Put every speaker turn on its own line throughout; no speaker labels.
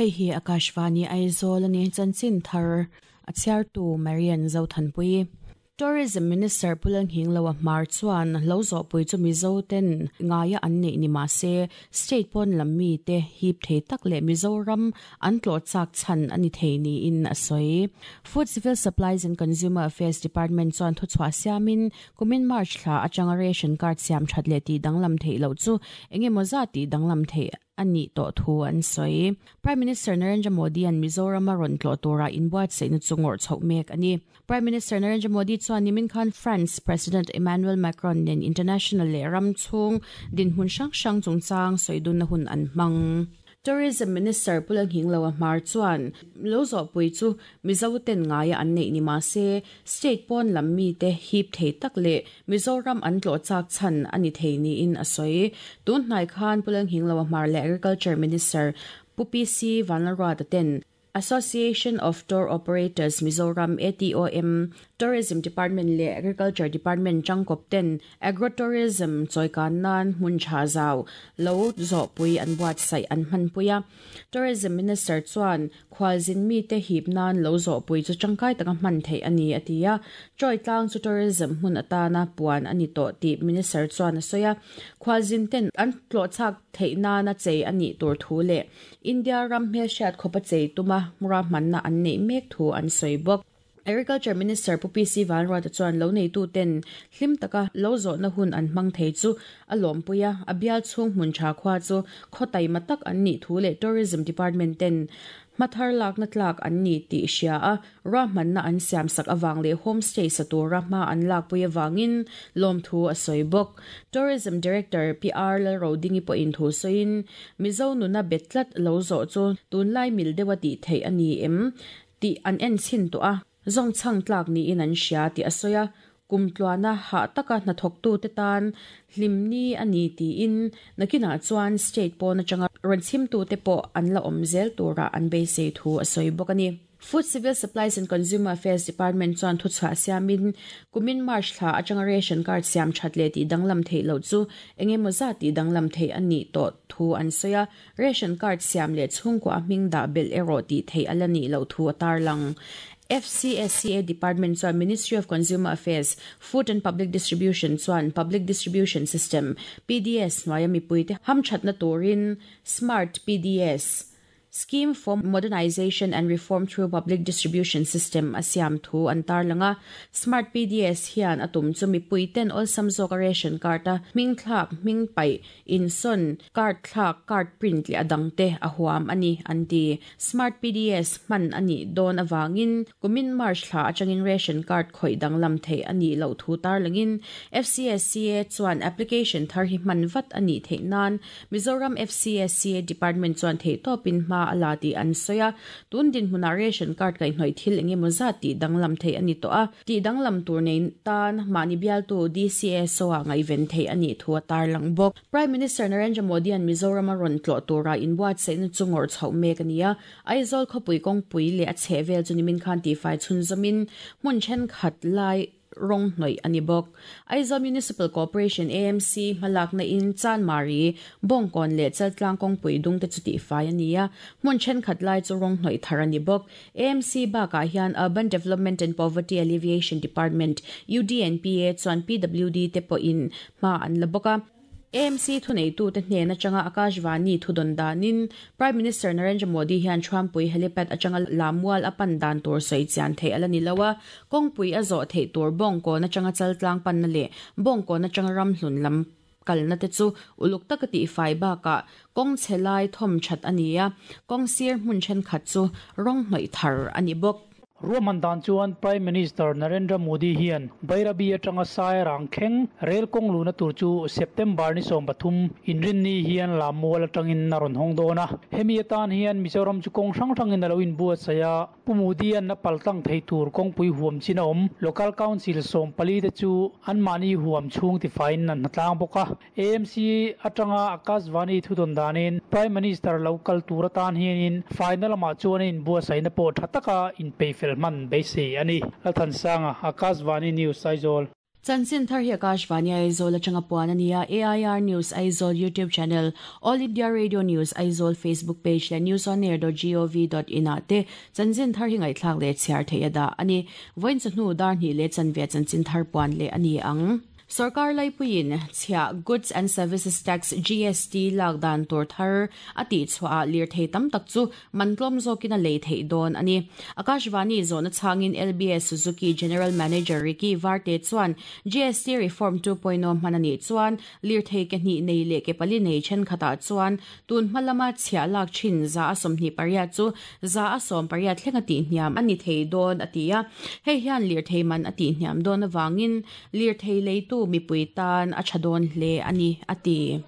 Hei hi Akashvani Aizawl a ni. Chanchin thar a chhiartu Marian Zothanpui. Tourism Minister Pu Lalnghingloa Hmar chuan lo zawhpui chu Mizo ten ngaia an neih ni mah se, state pawn lam mite hip thei tak leh Mizoram an tlawh chak chhan a ni thei niin a sawi. Food Civil Supplies and Consumer Affairs Department chuan thuchhuah siamin kumin March thla atanga ration card siam that leh tih danglam theih loh chu engemaw zat tih danglam theih a nih tawh thu an sawi. Prime Minister Narendra Modi-a'n Mizoram a rawn tlawh tura inbuatsaihna chu ngawrh chhoh mek a ni. Prime Minister Narendra Modi chuan nimin khan France President Emmanuel Macron nen international leh ram chhung dinhmun hrang hrang chungchang sawidunna hun an hmang. Tourism Minister Pu Lalnghingloa Hmar chuan lo zawhpui chu Mizo ten ngaia an neih ni mah se, state pawn lam mite hip thei tak leh Mizoram an tlawh chak chhan a ni thei niin a sawi. Tun hnai khan Pu Lalnghingloa Hmar leh Agriculture Minister Pu PC Vanlalruata ten Association of Tour Operators Mizoram, ATOM, Tourism Department leh Agriculture Department tangkawp ten Agro-tourism chawikan nan hmun tha zau lo zawhpui an buatsaih an hmanpui a. Tourism Minister chuan khualzin mite hip nan lo zawhpui chu tangkai taka hman theih a ni a ti a. Chawi tlang chu tourism hmun atana puan a ni tawh tih Minister chuan a sawi a. Khualzin ten an tlawhchhak theih nana chei a nih tur thu leh India ram hmelhriat khawpa chei tuma ruahmanna an neih mek thu an sawi bawk. Agriculture Minister Pu PC Vanruata chuan lo neituten hlim taka lo zawhna hun an hmang thei chu a lawmpui a, a bial chhung hmun tha khua chu khaw taima tak an nih thu leh Tourism Department ten hmathar lakna tlak an ni tih hria a, Ruahmanna an siamsak avang leh homestay sa tura hma an lakpui avangin lawmthu a sawi bawk. Tourism Director Pi R Lalrodingi pawhin thu sawiin, Mizo nuna bet tlat lo zawh chu tunlai mil deuha tih theih a ni em tih an en chhin tawh a, zawngchhang tlak niin an hria tih a sawi a, Kum tluana hah taka hnathawktute tan hlimni a ni tiin nakinah chuan state pawn atanga rawn chhimtute pawh an la awm zel tura an beisei thu a sawi bawk a ni. Food Civil Supplies and Consumer Affairs Department chuan thuchhuah siamin kumin March thla atanga ration card siam that leh tih danglam theih loh chu engemaw zat tih danglam theih a nih tawh thu an sawi a, ration card siam leh chhungkua hming dah belh erawh tih theih a la nih loh thu a tarlang. FCSCA Department chuan Ministry of Consumer Affairs, Food and Public Distribution chuan Public Distribution System, PDS, hnuaia mipuite hamthatna turin Smart PDS, Scheme for Modernization and Reform through Public Distribution System a siam thu an tarlang a. Smart PDS hian a tum chu mipuiten awlsam zawka ration card a hming thlak, hming paih, Insawn, card thlak, card print leh a dangte a huam a ni, an ti. Smart PDS hman a nih dawn avangin kumin March thla atangin ration card khawih danglam theih a nih loh thu tarlangin FCSCA chuan application thar hi hman vat a nih theih nan Mizoram FCSCA Department chuan theihtawpin hma a la tih an sawi a. Tun dinhmunah ration card kaihhnawih thil engemaw zat tih danglam theih a ni tawh a. Tih danglam tur nei tan mahni bialtu DCSO-ah ngaihven theih a nih thu a tarlang bawk. Prime Minister Narendra Modi-a'n Mizoram a rawn tlawh tura inbuatsaihna chu ngawrh chhoh mek a ni a. Aizawl khawpui kawngpui leh a chhehvel chu nimin khan tihfai chhunzawmin hmun thenkhat lai rawng hnawih a ni bawk. Aizawl Municipal Corporation, AMC, hmalakna in Chanmari, Bawngkawn leh Chaltlang kawngpui dung te chu tihfai a ni a, hmun thenkhat lai chu rawng hnawih thar a ni bawk. AMC bakah hian Urban Development and Poverty Alleviation Department, UDNPA, chuan PWD te pawhin hma an la bawk a. AMC thuneitute hnen atanga Akashvani thudawn danin Prime Minister Narendra Modi hian Thuampui helipad atanga Lamual a pan dan tur sawi chian theih a la ni lo a, kawngpui a zawh theih tur Bawngkawn atanga Chaltlang panna leh Bawngkawn atanga Ramhlun lam kalna te chu uluk taka tihfai bakah kawng chhe lai thawm that a ni a, kawng sir hmun thenkhat chu rawng hnawih thar a ni bawk.
Ruahman dan chuan Prime Minister Narendra Modi hian Bairabi atanga Sairang thleng rel kawng luhna tur chu September ni 13 inrinni hian Lammual atangin a rawn hawng dawn a. Hemi atan hian Mizoram chu kawng hrang hrangin a lo inbuatsaih a. Pu Modi-a'n a paltlang thei tur kawngpui huam chin a awm. Local Council 14 te chu anmahni huam chhung tifaiin an hnatlang bawk a. AMC atanga Akashvani thudawn danin Prime Minister lo kal tur atan hianin faina lamah chuan a inbuatsaihna pawh tha taka inpeihfel hman beisei a ni. Lalthansanga, Akashvani News, Aizawl.
Chanchin thar hi Akashvani Aizawl atanga puan a ni a, AIR News Aizawl YouTube channel, All India Radio News Aizawl Facebook page leh newsonair.gov.in ah te chanchin thar hi ngaihthlak leh chhiar theih a dah a ni. Vawiin chawhnu dar hnih leh chanve chanchin thar puan leh a ni ang. Sorkar laipuiin chhiah Goods and Services Tax, GST, lak dan tur thar a tihchhuahah lirthei tam tak chu man tlawm zawkin a lei theih dawn a ni. Akashvani zawhna chhangin LBS Suzuki General Manager Ricky Varte chuan GST Reform 2.0 hman a nih chuan lirthei ke hnih nei leh ke pali nei thenkhatah chuan tun hma lama chhiah lak thin 128 chu 18% thleng a tihhniam a ni thei dawn a ti a. Hei hian lirthei man a tihhniam dawn avangin Lirthei leitu mipui tan a tha dawn hle a ni, a ti.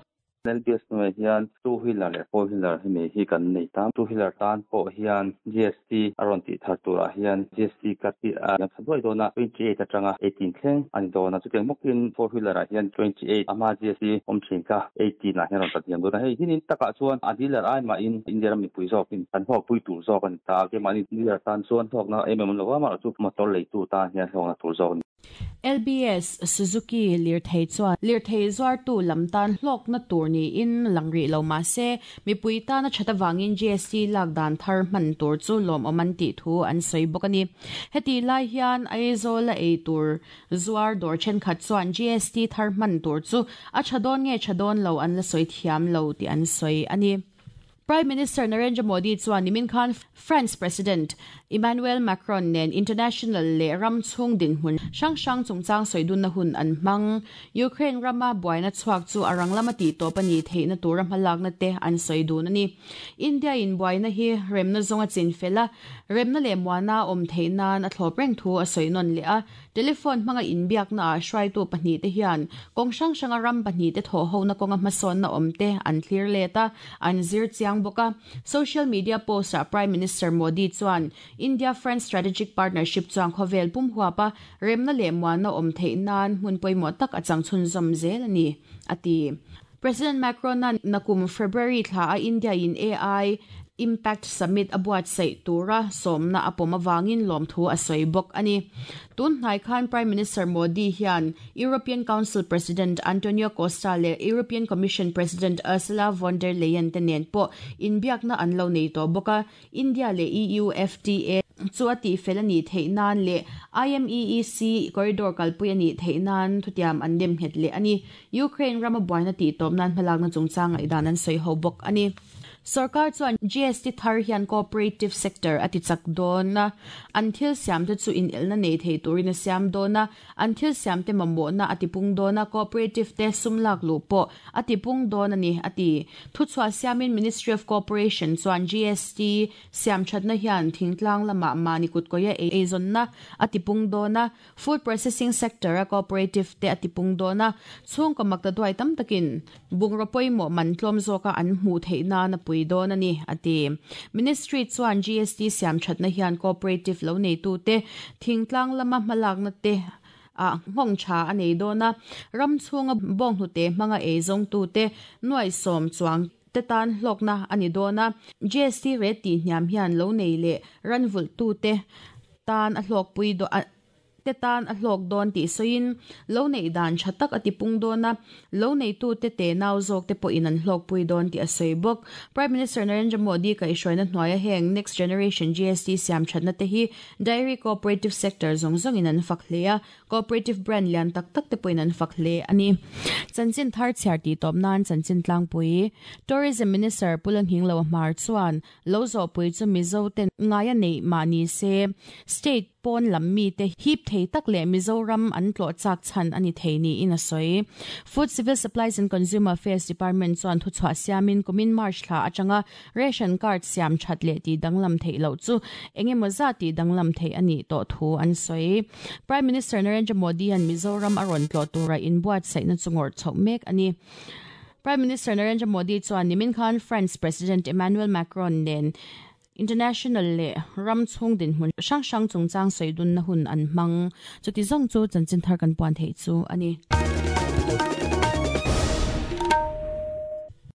LBS hnuaiah hian two wheeler leh four wheeler hemi hi kan nei ta. Two wheeler tan pawh hian GST a rawn tih thar turah hian GST cut hi a liam tha duai dawn a, 28 atanga 18 thleng a ni dawn a. Chutiang bawkin four wheeler ah hian 28 a hma GST awm thin kha 18 ah hian a rawn tla hniam dawn a. Hei hinin takah chuan a dealer ai mahin India ram mipui zawkin kan hlawkpui tur zawk a ni ta a. Keimahni dealer tan chuan hlawkna em em awm lo va, amaherawhchu motor leitu tan hian hlawkna tur zawk a ni.
LBS Suzuki lirthei chuan lirthei zuartu lam tan hlawkna tur niin lang rih lo mah se, mipui tana that avangin GST lak dan thar hman tur chu lawmawm an tih thu an sawi bawk a ni. Heti lai hian Aizawl-a ei tur zuar dawr thenkhat chuan GST thar hman tur chu a tha dawn nge tha dawn lo an la sawi thiam lo tih an sawi a ni. Prime Minister Narendra Modi chuan nimin khan France President Emmanuel Macron nen international leh ram chhung dinhmun hrang hrang chungchang sawi dunna hun an hmang. Ukraine rama buaina chhuak chu a rang lama tih tawp a nih theihna tura hmalakna te an sawi dun a ni. India in buaina hi remna zawnga chin fel a, remna leh muana awm theih nan a thlawp reng thu a sawi nawn leh a. Telephone hmanga inbiaknaah hruaitu pahnihte hian kawng hrang hranga ram pahnihte thawhhona kawnga hmasawnna awmte an thlir let a, an zir chiang bawk a. Social media post-ah Prime Minister Modi chuan India-France strategic partnership chuan khawvel pum huapa remna leh muanna awm theih nan hmun pawimawh tak a chang chhunzawm zel a ni, a ti. President Macron-a nakum February thla a India-in AI Impact Summit a buatsaih tura sawmna a pawm avangin lawmthu a sawi bawk a ni. Tun hnai khan Prime Minister Modi hian European Council President Antonio Costa leh European Commission President Ursula von der Leyen te nen pawh inbiakna an lo nei tawh bawk a. India leh EU FTA chu a tihfel a nih theih nan leh IMEEC corridor kalpui a nih theih nan thutiam an nem nghet leh a ni. Ukraine rama buaina tihtawp nan hmalakna chungchang ngaihdan an sawi ho bawk a ni. Sorkar chuan GST thar hian cooperative sector a ti chak dawn a, an thil siamte chu inelna nei thei turin a siam dawn a, An thil siamte mamawhna a tipung dawn a, cooperative te sum lak luh pawh a tipung dawn a ni, a ti. Thuchhuah siamin Ministry of Cooperation chuan GST siamthatna hian thingtlang lamah mahni kutkawia eizawnna a tipung dawn a, food processing sector a cooperative te a tipung dawn a, chhungkaw makta duai tam takin bungraw pawimawh man tlawm zawka an hmuh theih nan a pui dawn a ni, a ti. Ministry chuan GST siamthatna hian cooperative lo neitute thingtlang lama hmalakna te ah nghawng tha a nei dawn a, ram chhunga bawnghnute hmanga eizawngtute nuaihsawm chuang te tan hlawkna a ni dawn a. GST rate tihhniam hian lo nei leh ranvulhtute tan a hlawkpui te tan a hlawk dawn tih sawiin, lo neih dan tha tak a tipung dawn a, lo neitute tenau zawk te pawhin an hlawkpui dawn tih a sawi bawk. Prime Minister Narendra Modi kaihhruaina hnuaia heng Next Generation GST siam thatna te hi Dairy Cooperative Sector zawng zawngin an fak hle a, Cooperative brand lian tak tak te pawhin an fak hle a ni. Chanchin thar chhiar tih tawp nan chanchin tlangpui Tourism Minister Pu Langhinglo Hmar chuan lo zawhpui chu Mizo ten ngaia neih mah ni se State pawn lam mite hip thei tak leh Mizoram an tlawh chak chhan a ni thei niin a sawi. Food Civil Supplies and Consumer Affairs Department chuan thuchhuah siamin kumin March thla atanga ration card siam that leh tih danglam theih loh chu eng emaw zat tih danglam theih a nih tawh thu an sawi. Prime Minister Narendra Modi-a'n Mizoram a rawn tlawh tura inbuatsaihna chu ngawrh chhoh mek a ni. Prime Minister Narendra Modi chuan nimin khan France President Emmanuel Macron nen International leh ram chhung dinhmun hrang hrang chungchang sawi dunna hun an hmang. Chuti zawng chu chanchin thar kan puan theih chu a ni.